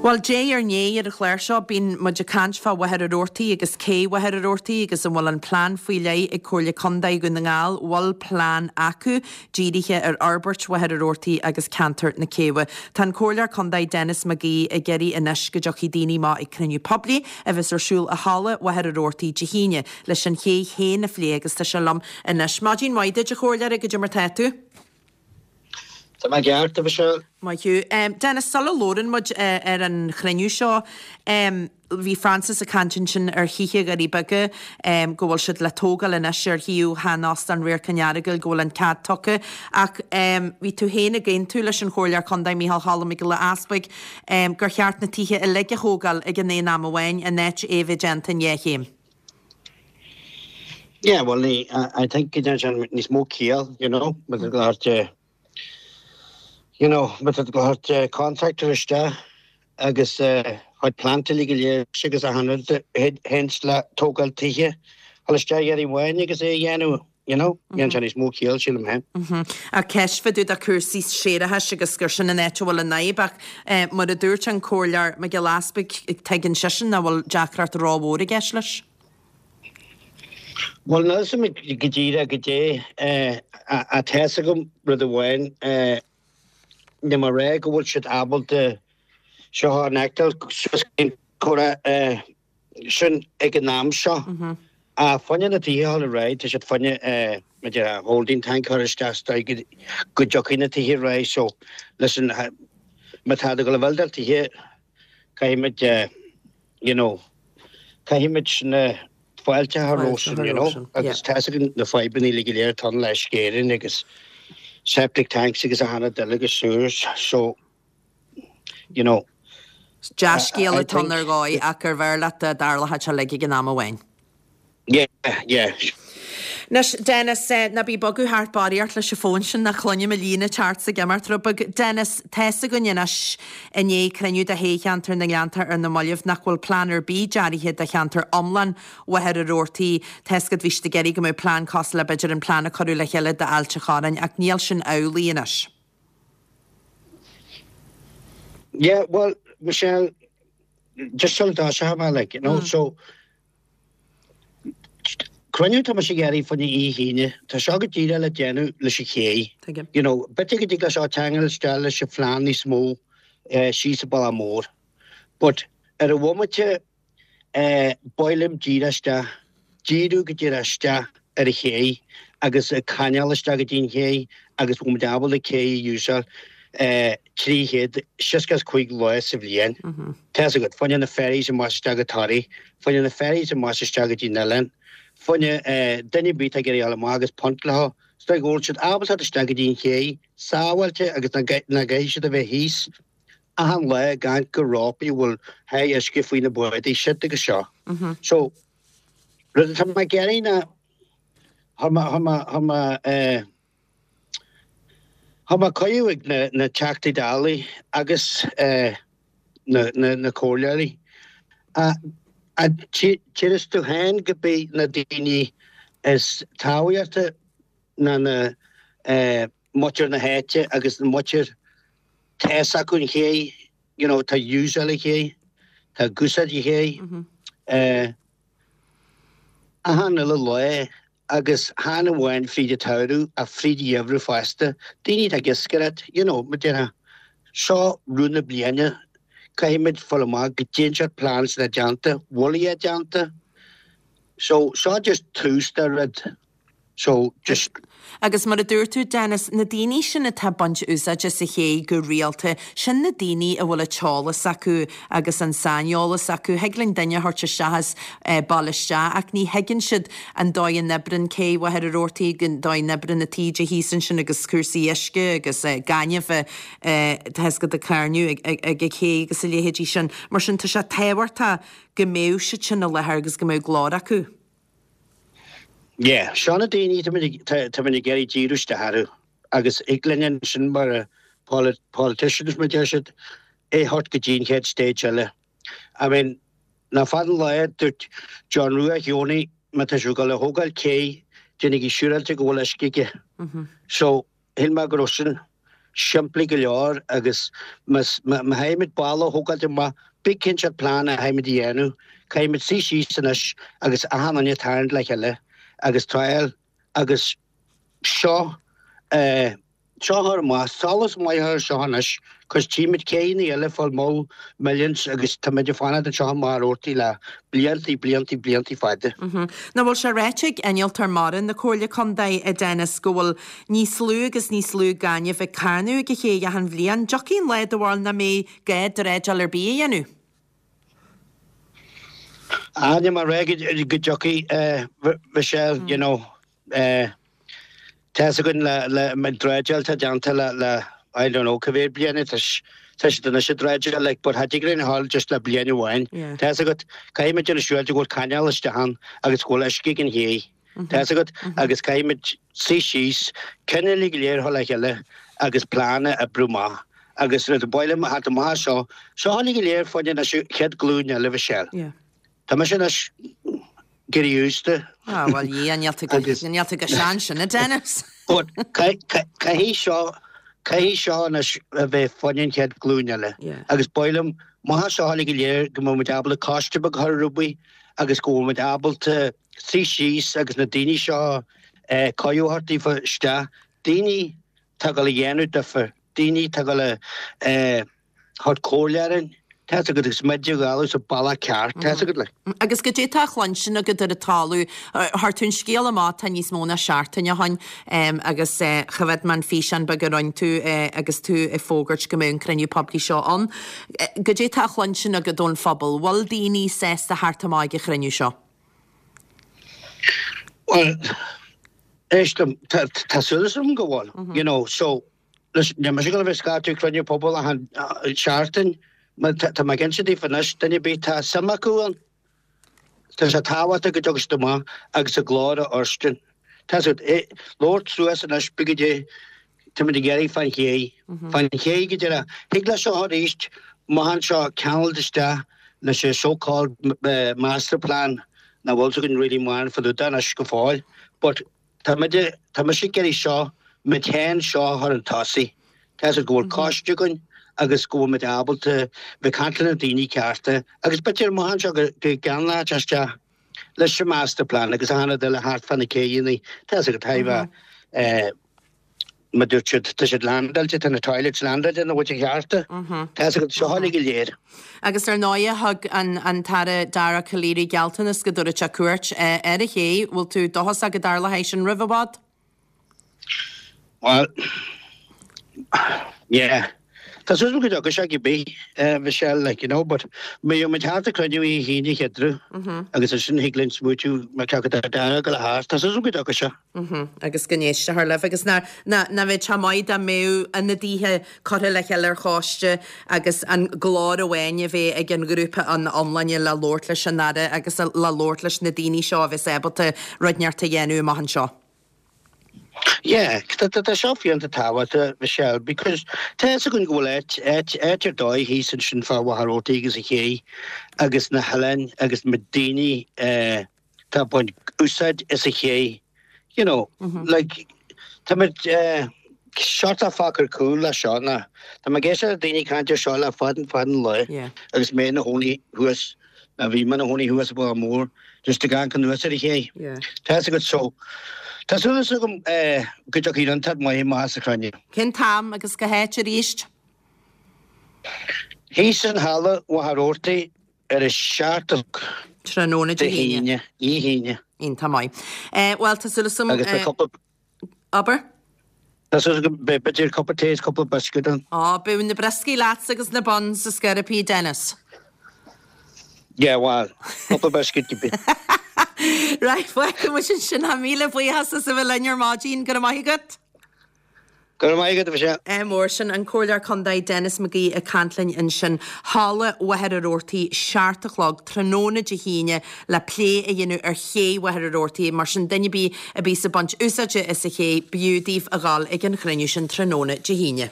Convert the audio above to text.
Bhuel, diaidh ar ndiaidh ar an chlár seo, bíonn muid ag caint fá Mhachaire Rabhartaigh agus cé Mhachaire Rabhartaigh agus an bhfuil an plean faoi leith ag Comhairle Contae Dhún na nGall, bhfuil plean acu dírithe ar fhorbairt Mhachaire Rabhartaigh agus ceantar na Céibhe. Tá an Comhairleoir Contae Denis McGee ag iarraidh anois go dtiocfaidh daoine amach ag cruinniú poiblí a bheas ar siúl i Halla Mhachaire Rabhartaigh Dé hAoine leis an ché féin a phlé agus tá sé liom anois. Maidin mhaith duit a Chomhairleoir, goidé mar tá tú? Tá mé ceart, a Mhichelle. Maith thú. Denis, sula labhrann muid ar an chruinniú seo, bhí Francis ag caint ansin ar thithe Dhoirí Beaga, go bhfuil siad le tógáil anois ar shuíomh shean-Óstán Radharc an Earagail, go bhfuil an cead tugtha. Ach bhí tú féin ag aontú leis an Chomhairleoir Contae Micheál Cholm Mac Giolla Easpaig gur cheart na tithe uilig a thógáil ag an aon am amháin, in áit é a bheith déanta in dhá chéim. Yeah, well, ní, I think go ndéanann sé níos mó ciall, you know, má tá go leor, you know, má tá go leor contractor isteach agus chuid plant uilig go léir agus achan rud a théanns le tógáil tithe, dhul isteach iarraidh amháin agus é a dhéanamh, you know, dhéanann sé níos mó ciall, sílim féin. Ach ceist fá dtaobh de cúrsaí séarachais agus gur sin an áit a bhfuil an fhadhb ach mar a dúirt an Comhairleoir Mac Giolla Easpaig, tuigeann seisean nach bhfuil deacracht rómhór i gceist leis. Bhuel, níl a fhios agam go díreach goidé ach tá a fhios agam rud amháin, níl mé ag rá go bhfuil siad ábalta seo a fheiceáil suas go dtí an comhrá sin ag an am seo. Ach fá choinne na tithe a dhul ar aghaidh, tá siad fá choinne mar a déarfá holding tank a chur isteach sa dóigh go dtiocfaidh na tithe ar aghaidh. So listen, má tá tú ag dul a bhuildáil tithe, caithfimid you know, caithfimid na fáilte a chur sin, you know, agus tá a fhios againn na fadhbanna uilig go léir atá ann le Uisce Éireann agus septic tanks agus achan rud eile agus sewers, so you know. Dea-scéal atá ann ar dhóigh ach gurbh fhearr leat dá dtarlódh sé uilig ag an am amháin. Yeah, yeah. Anois, Denis, ná bí ag bogadh thart barraíocht leis an bhfón sin, ná cluinim an líne ag teacht 's ag imeacht rud beag. Denis, tá's againn anois, i ndiaidh cruinniú de thoghcheantar na nGleannta ar na mallaibh, nach bhfuil plean ar bith deartha do cheantar iomlán Mhachaire Rabhartaigh. Tá's agat, bhí siad ag iarraidh go mbeadh plean cosúil le b'fhéidir an plean a cuireadh le chéile d'Ailt an Chorráin, ach níl sin amhlaidh anois. Yeah, well, Michelle, just sula dtoiseoidh mé, like, you know, so, cruinniú tá mise ag iarraidh fá choinne oíche Aoine, tá seo go díreach le déanamh leis an ché. Tuigim. You know, b'fhéidir go dtig leis seo teangail isteach leis an phlean níos mó síos an Bealach Mór. But ar an bhomaite, Ba mhaith liom díriú isteach, díriú go díreach isteach ar an ché agus an canáil isteach go dtí an ché agus bhfuil muid ábalta cé a úsáil 365 lá sa bhliain. Tá a fhios agat, fá choinne na ferries amach isteach go Toraigh, fá choinne na ferries amach isteach go dtí an oileán, fá choinne duine ar bith atá ag iarraidh dul amach agus punt leo, is dóigh go bhfuil siad ábalta isteach go dtí an ché sábháilte agus nach gcaithfidh siad a bheith thíos. Achan lá ag amharc go rópaí a bhfuil high uisce faoi na bádaí siod agus seo. So, rud atá mé ag iarraidh ná, chuir mé, chuir mé, chuir mé eh, chuir mé cuireadh ag na, na Teachtaí Dála agus eh, na, na, na comhairleoirí. A, a, tchíos tú féin go b'í na daoine is tábhachtaí ná na eh, muintir na háite agus na muintir tá a fhios acu an ché, you know, tá úsáid an ché, tá ag úsáid an ché, eh, achan uile lá agus chan amháin fríd an tsamhradh ach fríd an gheimhreadh fosta, daoine atá ag iascaireacht, you know, mar a déarfá, seo rud na bliana, caithfimid fáil amach goidé an seort plans atá déanta, bhfuil iad déanta, so seo just tús de rud. So, just. Agus mar a dúirt tú, Denis, na daoine sin atá ag baint úsáid as an ché go rialta, sin na daoine a bhfuil an t-eolas acu agus an saineolas acu. Thig linn duine a thabhairt isteach as baile isteach ach ní thuigeann siad an dóigh a n-oibreann cé Mhachaire Rabhartaigh, an dóigh a n-oibreann na taoide thíos ansin agus cúrsaí uisce agus gaineamh tá a fhios agat ag carnadh ag an ché agus a leithéidí sin. Mar sin tá sé tábhachtach go mbeadh siad sin i láthair agus go mbeadh glór acu. Yeah, seo na daoine táimid ag iarraidh díriú isteach orthu agus thig linn ansin mar politicians mar deir siad, é a thabhairt go dtí an chéad stage eile. I mean, nach fada an lá dúirt John Rua Sheonaí má tá sibh ag dul a thógáil cé, déanaigí siúráilte go bhfuil uisce aige. So, shíl mé go raibh sin. simplí go leor agus má chaithfimid baile a thógáilt amach, bíodh cén seort plean a chaithfimid a dhéanamh, caithfimid suí síos anois agus achan duine tarraingt le chéile agus triail agus seo eh. Seo a chur amach, solas maith a chur seo anois, cos tchímid céidheanna eile ag fáil mó millions agus táimid ag fanacht anseo i Machaire Rabhartaigh le bliantaí, bliantaí, bliantaí fada. Nach bhfuil sé ráite ag Innealtóir Mara na Comhairle Contae, a Dennis, go bhfuil níos lú agus níos lú gainimh ag carnadh ag an chéidh achan bhliain. Dtiocfaidh an lá do bharúil nach mbeidh gá dreideáil ar bith a dhéanamh? Ah, níl mé ag rá go dtiocfaidh, Michelle, you know. Tá's againn le an dreideáil atá déanta le le I don't know cá mhéad bliain tá tá siad anois ag dreideáil like but cha dtig linn a ghabháil just le bliain amháin. Tá's agat caithfidh muid déanamh siúráilte go bhfuil canáil isteach ann agus go bhfuil uisce ag an ché. Tá's agat agus caithfidh muid suí síos, cinn uilig go léir a chur le chéile agus plean a oibriú amach agus rud ba mhaith liom a theacht amach as seo, seo uilig go léir fá choinne anois an chéad ghlúin eile Mhichelle. Tá mise anois ag éirí aosta. Ah, bhuel, yeah, níl tú go, níl tú go sean sin, a Dennis. But caithfidh seo, caithfidh seo anois a bheith fá choinne an chéad ghlúin eile. Agus ba mhaith liom, amach as seo uilig go léir go mbeidh muid ábalta coiste beag a chur ar obair agus go bhfuil muid ábalta suí síos agus na daoine seo cuireadh a thabhairt daofa isteach, daoine atá ag dul a dhéanamh difear, daoine atá ag dul a thabhairt comhairle orainn, tá's agat, agus muid a ghabháil sa bealach ceart, tá's agat, like. Agus goidé tá á chluinstin agat ar an talamh, chuir tú an scéal amach tá níos mó ná seachtain ó shoin agus choimhéad mé an físeán beag a roinn tú agus tú ag fógairt go mbeadh an cruinniú poiblí seo ann. Goidé tá á chluinstin agat ón phobal? Bhfuil daoine sásta theacht amach ag an chruinniú seo? Bhuel, éist liom, tá súil agam go bhfuil, you know, so, Listen, níl mise ag dul a bheith ag scairteadh cruinniú pobail achan seachtain, mar tá mé ag inse daoibh anois, duine ar bith tá suim acu ann, tá sé tábhachtach go dtiocfaidh siad amach agus a nglór a fhóirstin. Tá siad ag labhairt suas anois, bígí dé, táimid ag iarraidh fán ché, fán ché go deireadh. Thig leis seo arís, amach anseo, ceangailt isteach leis an so called master plan, nach bhfuil 's againn really mórán fá dtaobh de anois go fóill, but Tá muid, tá mise ag iarraidh seo, muid féin seo a chur chun tosaigh. Tá 'fhios agat go bhfuil coiste againn agus go bhfuil muid ábalta bheith ag caint le na daoine cearta agus b'fhéidir amach anseo go gceanglóidh sé isteach leis an master plan agus achan rud eile thart fá na céidheanna. Tá 'fhios agat, tá eh, mar dúirt siad, tá siad landáilte, tá na toilets landáilte ina gcuid chearta. Tá 'fhios agat, seo uilig go léir. Agus ar ndóighe, thug an tAire Dara Calleary gealltanas go dtabharfadh sé cuairt ar an ché. Bhfuil tú dóchasach go dtarlóidh sin roimh i bhfad? Bhuel, yeah. Tá súil agam go dtiocfaidh sé cibé, Michelle, like, you know, but beidh muid thart ag cruinniú oíche hAoine an Cheathrú agus ansin thig linn smaoitiú mar cé acu tá Dara ag dul thart. Tá súil agam go dtiocfaidh sé. Agus go n-éistfear libh. Agus nach mbeadh sé maith dá mbeadh ionadaithe curtha le chéile ar choiste agus an glór amháin a bheith ag an ghrúpa ina iomláine le labhairt leis an Aire agus le labhairt leis na daoine seo a bheas ábalta rud inteacht a dhéanamh amach anseo. Yeah, tá seo fiúntach tábhachtach, Michelle, because tá fhios againn go bhfuil áit, áit, áit ar dóigh thíos ansin fá Mhachaire Rabhartaigh agus an ché agus na hoileáin agus na daoine eh, tá ag baint úsáid as an ché, you know, like, tá muid sort of fágtha ar cúl le seo ná, tá mé ag éisteacht le daoine ag caint ar seo le fada fada an lá agus mé ina chónaí thuas, ná bhí mé ina chónaí thuas i Baile Mór, just ag amharc anuas ar an ché. Tá fhios agat, so, tá súil agam go dtiocfaidh rud inteacht maith amach as an chruinniú. Cén t-am agus cá háit arís? Thíos in Halla Mhachaire Rabhartaigh Ar a 7 a chlog. Tráthnóna Dé hAoine. Dé hAoine. Iontach maith. Bhuel, tá súil agam. Agus beidh cúpla. Abair. Tá súil agam beidh b'fhéidir cupa tae is cúpla biscuit ann. Á, beidh na brioscaí leatsa agus na buns is scairpí, Dennis. Yeah, bhuel, cúpla biscuit cibé. Right, fágfaidh muid ansin. Míle buíochas as a bheith linn ar maidin. Go raibh maith agat. Go raibh maith agat, a Mhichelle. Ádh mór. Sin an Comhairleoir Contae Denis McGee ag caint linn ansin. Halla Mhachaire Rabhartaigh, 7 a chlog, tráthnóna Dé hAoine le plé a dhéanamh ar ché Mhachaire Rabhartaigh. Mar sin, duine ar bith a bíos ag baint úsáide as an ché, b'fhiú daoibh a dhul ag an chruinniú sin tráthnóna Dé hAoine.